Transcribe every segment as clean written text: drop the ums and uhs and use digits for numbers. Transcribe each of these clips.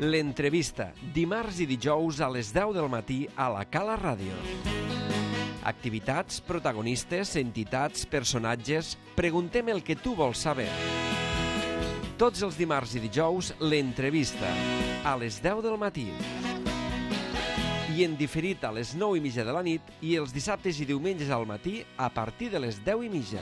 L'entrevista, dimarts i dijous a les 10 del matí a la Cala Ràdio. Activitats, protagonistes, entitats, personatges... Preguntem el que tu vols saber. Tots els dimarts i dijous, l'entrevista, a les 10 del matí. I en diferit a les 9:30 de la nit i els dissabtes i diumenges al matí a partir de les 10:30.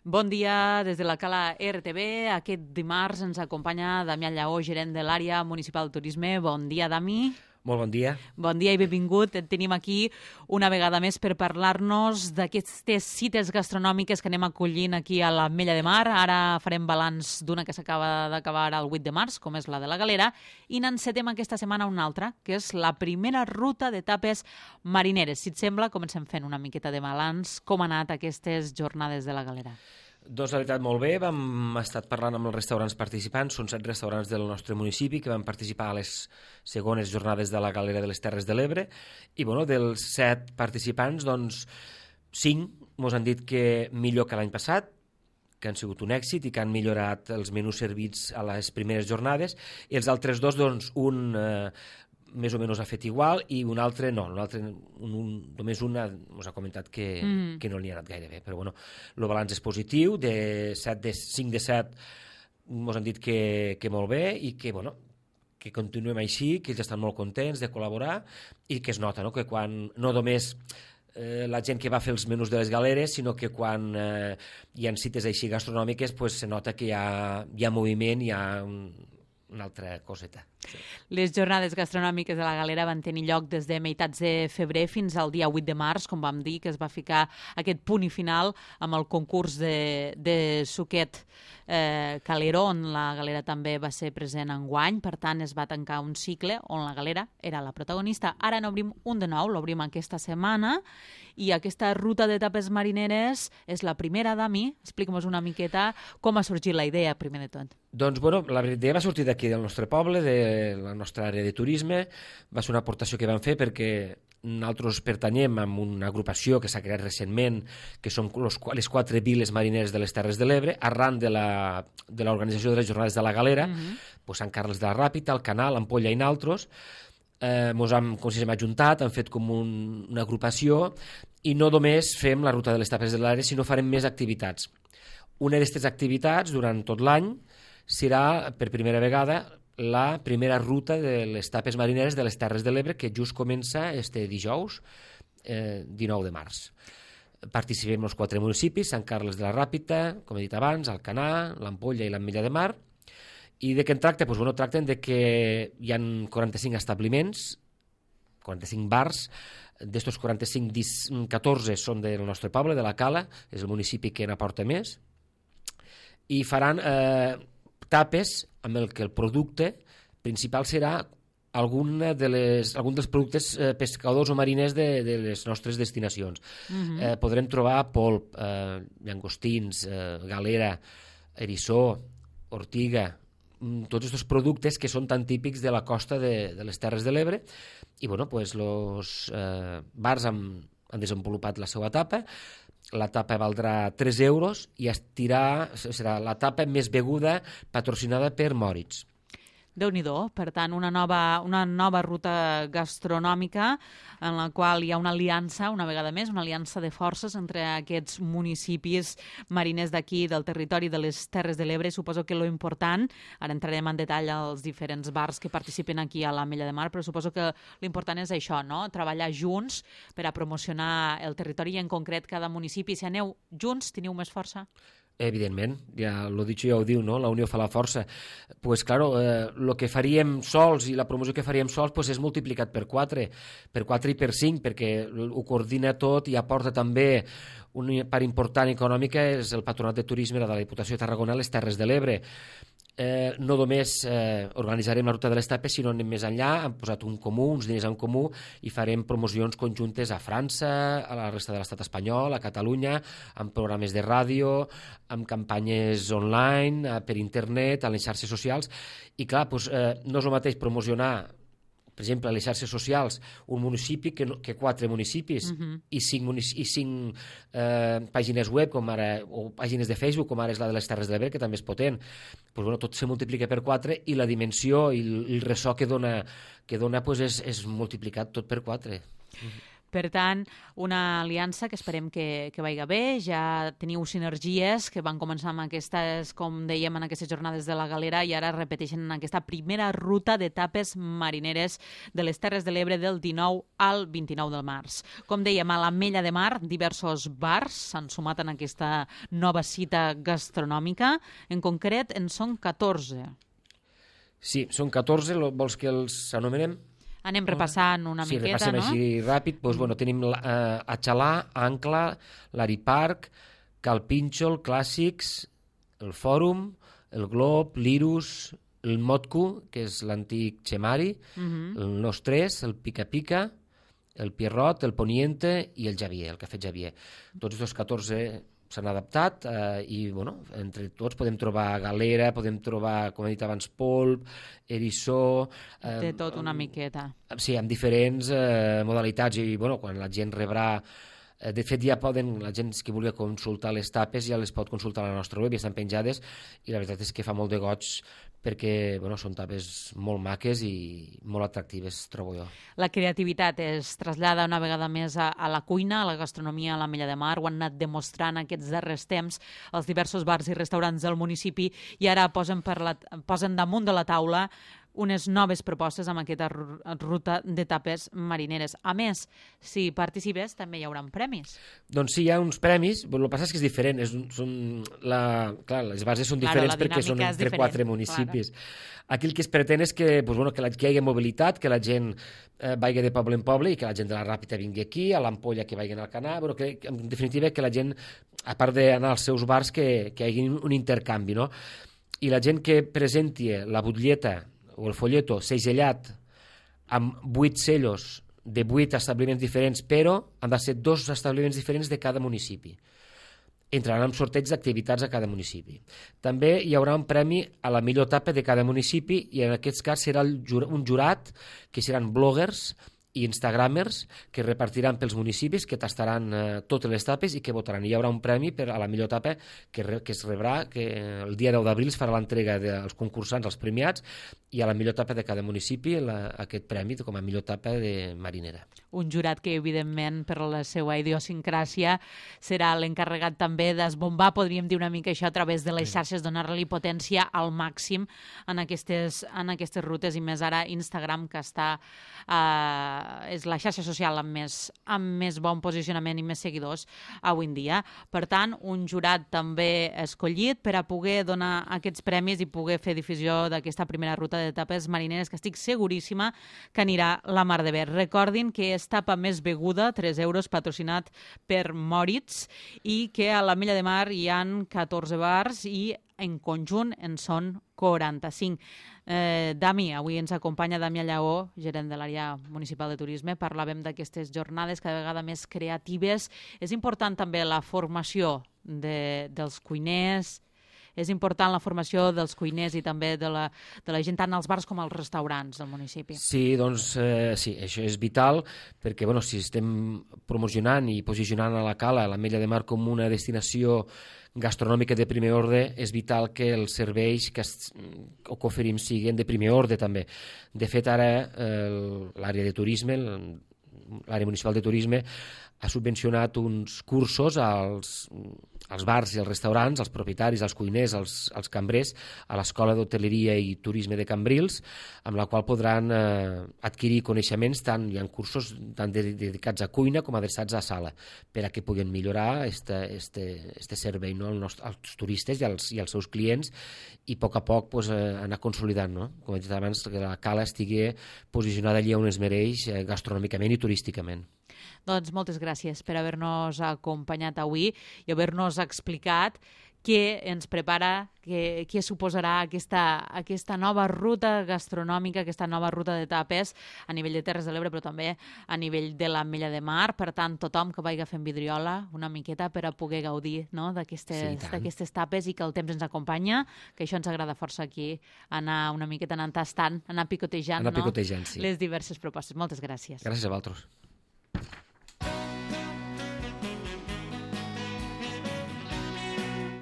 Bon dia des de la Cala RTV. Aquest dimarts ens acompanya Damià Lleó, gerent de l'àrea municipal de turisme. Bon dia, Dami. Molt bon dia. Bon dia i benvingut. Et tenim aquí una vegada més per parlar-nos d'aquestes cites gastronòmiques que anem acollint aquí a l'Ametlla de Mar. Ara farem balanç d'una que s'acaba d'acabar el 8 de març, com és la de la Galera, i n'encetem aquesta setmana una altra, que és la primera ruta d'etapes marineres. Si et sembla, comencem fent una miqueta de balanç. Com han anat aquestes jornades de la Galera? Doncs la veritat molt bé, hem estat parlant amb els restaurants participants, són 7 restaurants del nostre municipi que van participar a les segones jornades de la Galera de les Terres de l'Ebre i bueno, dels 7 participants, doncs 5 ens han dit que millor que l'any passat, que han sigut un èxit i que han millorat els menús servits a les primeres jornades, i els altres 2, doncs un més o menys ha fet igual i un altre no, només un ens ha comentat que no li ha anat gaire bé, però bueno, el balanç és positiu, de 5 de 7 ens han dit que molt bé i que bueno, que continuem així, que ells estan molt contents de col·laborar i que es nota, no?, que quan no només la gent que va fer els menús de les galeres, sinó que quan hi ha cites així gastronòmiques pues, se nota que hi ha moviment, hi ha una altra coseta. Sí. Les jornades gastronòmiques de la Galera van tenir lloc des de meitats de febrer fins al dia 8 de març, com vam dir, que es va ficar aquest punt i final amb el concurs de suquet Calero, on la Galera també va ser present enguany. Per tant, es va tancar un cicle on la Galera era la protagonista. Ara n'obrim un de nou, l'obrim aquesta setmana, i aquesta ruta d'etapes marineres és la primera, Dami. Explica'm una miqueta com ha sorgit la idea, primer de tot. Doncs, bueno, la idea va sortir d'aquí del nostre poble, de la nostra àrea de turisme. Va ser una aportació que vam fer perquè nosaltres pertanyem a una agrupació que s'ha creat recentment, que són les 4 viles marineres de les Terres de l'Ebre, arran de l'organització de les Jornades de la Galera, doncs Sant Carles de la Ràpita, el Canal, Ampolla i naltros. Ens hem ajuntat, hem fet com una agrupació i no només fem la ruta de les Terres de l'Ebre, sinó farem més activitats. Una d'aquestes activitats, durant tot l'any, serà per primera vegada la primera ruta de les tapes marineres de les Terres de l'Ebre, que just comença este dijous, 19 de març. Participem els 4 municipis, Sant Carles de la Ràpita, com he dit abans, Alcanar, l'Ampolla i l'Ametlla de Mar. I de què en tracta? Doncs, bueno, tracten de que hi ha 45 establiments, 45 bars, d'estos 45, 14 són del nostre poble, de la Cala, és el municipi que n'aporta més, i faran tapes amb el que el producte principal serà algun dels productes pescadors o mariners de les nostres destinacions. Podrem trobar polp, llangostins, galera, eriçó, ortiga, tots aquests productes que són tan típics de la costa de les Terres de l'Ebre, i bueno, pues, els bars han desenvolupat la seva tapa. La tapa valdrà 3 euros i serà la tapa més beguda patrocinada per Moritz. Déu-n'hi-do, per tant, una nova ruta gastronòmica en la qual hi ha una aliança, una vegada més, una aliança de forces entre aquests municipis mariners d'aquí, del territori de les Terres de l'Ebre. Suposo que lo important, ara entrarem en detall als diferents bars que participen aquí a l'Ametlla de Mar, però suposo que l'important és això, no?, treballar junts per a promocionar el territori i en concret cada municipi. Si aneu junts, teniu més força? Evidentment, ja l'ho dit, ja ho diu, no? La unió fa la força. Pues claro, el que faríem sols i la promoció que faríem sols pues és multiplicat per 4 i per 5, perquè ho coordina tot i aporta també una part important econòmica, és el Patronat de Turisme de la Diputació de Tarragona a les Terres de l'Ebre. No només organitzarem la ruta de les tapes, sinó anem més enllà, hem posat uns diners en comú i farem promocions conjuntes a França, a la resta de l'estat espanyol, a Catalunya, amb programes de ràdio, amb campanyes online, per internet, a les xarxes socials. I clar, no és el mateix promocionar per exemple, a les xarxes socials, un municipi que 4 municipis i 5 pàgines web, com ara, o pàgines de Facebook, com ara és la de les Terres de l'Ebre, que també és potent, tot se multiplica per 4 i la dimensió i el ressò que dona és multiplicat tot per 4. Per tant, una aliança que esperem que vagi bé. Ja teniu sinergies que van començar amb aquestes, com dèiem, en aquestes jornades de la Galera i ara repeteixen en aquesta primera ruta d'etapes marineres de les Terres de l'Ebre del 19 al 29 del març. Com dèiem, a l'Ametlla de Mar, diversos bars s'han sumat en aquesta nova cita gastronòmica. En concret, en són 14. Sí, són 14, vols que els anomenem? Anem repassant una miqueta, no? Sí, repassem així ràpid. Tenim Atxalà, Ancla, l'Ari Park, Cal Pínxol, Clàssics, el Fòrum, el Glob, l'Irus, el Motco, que és l'antic Xemari, el Nostres, el Pica Pica, el Pierrot, el Poniente i el Javier, el Cafè Javier. Tots els 14 s'han adaptat i entre tots podem trobar galera, podem trobar, com he dit abans, polp, eriçó... De tot una miqueta. Sí, amb diferents modalitats i quan la gent rebrà... De fet, la gent que vulgui consultar les tapes ja les pot consultar a la nostra web, ja estan penjades i la veritat és que fa molt de goig perquè són tapes molt maques i molt atractives, trobo jo. La creativitat es trasllada una vegada més a la cuina, a la gastronomia a l'Ametlla de Mar. Ho han anat demostrant aquests darrers temps els diversos bars i restaurants del municipi i ara posen damunt de la taula unes noves propostes amb aquesta ruta d'etapes marineres. A més, si participes, també hi haurà premis. Doncs sí, hi ha uns premis, el que passa és que és diferent. Clar, les bases són diferents perquè són entre 4 municipis. Aquí el que es pretén és que hi hagi mobilitat, que la gent vagi de poble en poble i que la gent de la Ràpita vingui aquí, a l'Ampolla que vagin al Canà, en definitiva que la gent, a part d'anar als seus bars, que hi hagi un intercanvi, no? I la gent que presenti la butlleta o el folleto segellat amb 8 sellos de 8 establiments diferents, però han de ser 2 establiments diferents de cada municipi. Entraran en sorteig d'activitats a cada municipi. També hi haurà un premi a la millor tapa de cada municipi i en aquest cas serà un jurat que seran bloggers i instagramers que repartiran pels municipis, que tastaran totes les tapes i que votaran. Hi haurà un premi a la millor tapa que es rebrà, que el dia 10 d'abril es farà l'entrega dels concursants, als premiats, i a la millor tapa de cada municipi aquest premi com a millor tapa de marinera. Un jurat que, evidentment, per la seva idiosincràsia, serà l'encarregat també d'esbombar, podríem dir una mica això, a través de les xarxes, donar-li potència al màxim en aquestes rutes, i més ara Instagram, que és la xarxa social amb més bon posicionament i més seguidors avui en dia. Per tant, un jurat també escollit per a poder donar aquests premis i poder fer difusió d'aquesta primera ruta d'etapes marineres, que estic seguríssima que anirà la mar de bé. Recordin que és tapa més beguda, 3 euros, patrocinat per Moritz, i que a l'Ametlla de Mar hi han 14 bars i en conjunt en són 45. Dami, avui ens acompanya Damià Lleó, gerent de l'àrea municipal de turisme. Parlàvem d'aquestes jornades cada vegada més creatives. És important també la formació dels cuiners, és important la formació dels cuiners i també de la gent tant als bars com als restaurants del municipi. Sí, doncs sí, això és vital perquè si estem promocionant i posicionant a la Cala, a l'Ametlla de Mar, com una destinació gastronòmica de primer ordre, és vital que els serveis que oferim siguin de primer ordre també. De fet, ara l'àrea de turisme, l'àrea municipal de turisme, ha subvencionat uns cursos als bars i als restaurants, als propietaris, als cuiners, als cambrers, a l'Escola d'Hoteleria i Turisme de Cambrils, amb la qual podran adquirir coneixements, hi ha cursos tant dedicats a cuina com adreçats a sala, per a que puguin millorar este servei als turistes i als seus clients i a poc anar consolidant, no? Com he dit abans, que la Cala estigui posicionada allí on es mereix gastronòmicament i turísticament. Doncs moltes gràcies per haver-nos acompanyat avui i haver-nos explicat què ens prepara, què suposarà aquesta nova ruta gastronòmica, aquesta nova ruta de tapes a nivell de Terres de l'Ebre, però també a nivell de l'Ametlla de Mar. Per tant, tothom que vagi fent vidriola una miqueta per a poder gaudir, no, d'aquestes tapes i que el temps ens acompanya, que això ens agrada força aquí, anar una miqueta anant tastant, anar picotejant, sí. Les diverses propostes. Moltes gràcies. Gràcies a vosaltres.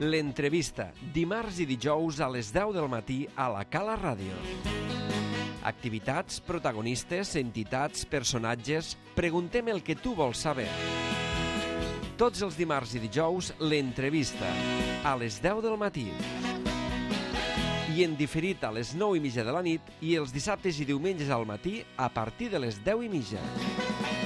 L'entrevista, dimarts i dijous a les 10 del matí a la Cala Ràdio. Activitats, protagonistes, entitats, personatges... Preguntem el que tu vols saber. Tots els dimarts i dijous, l'entrevista, a les 10 del matí. I en diferit a les 9:30 de la nit i els dissabtes i diumenges al matí a partir de les 10:30.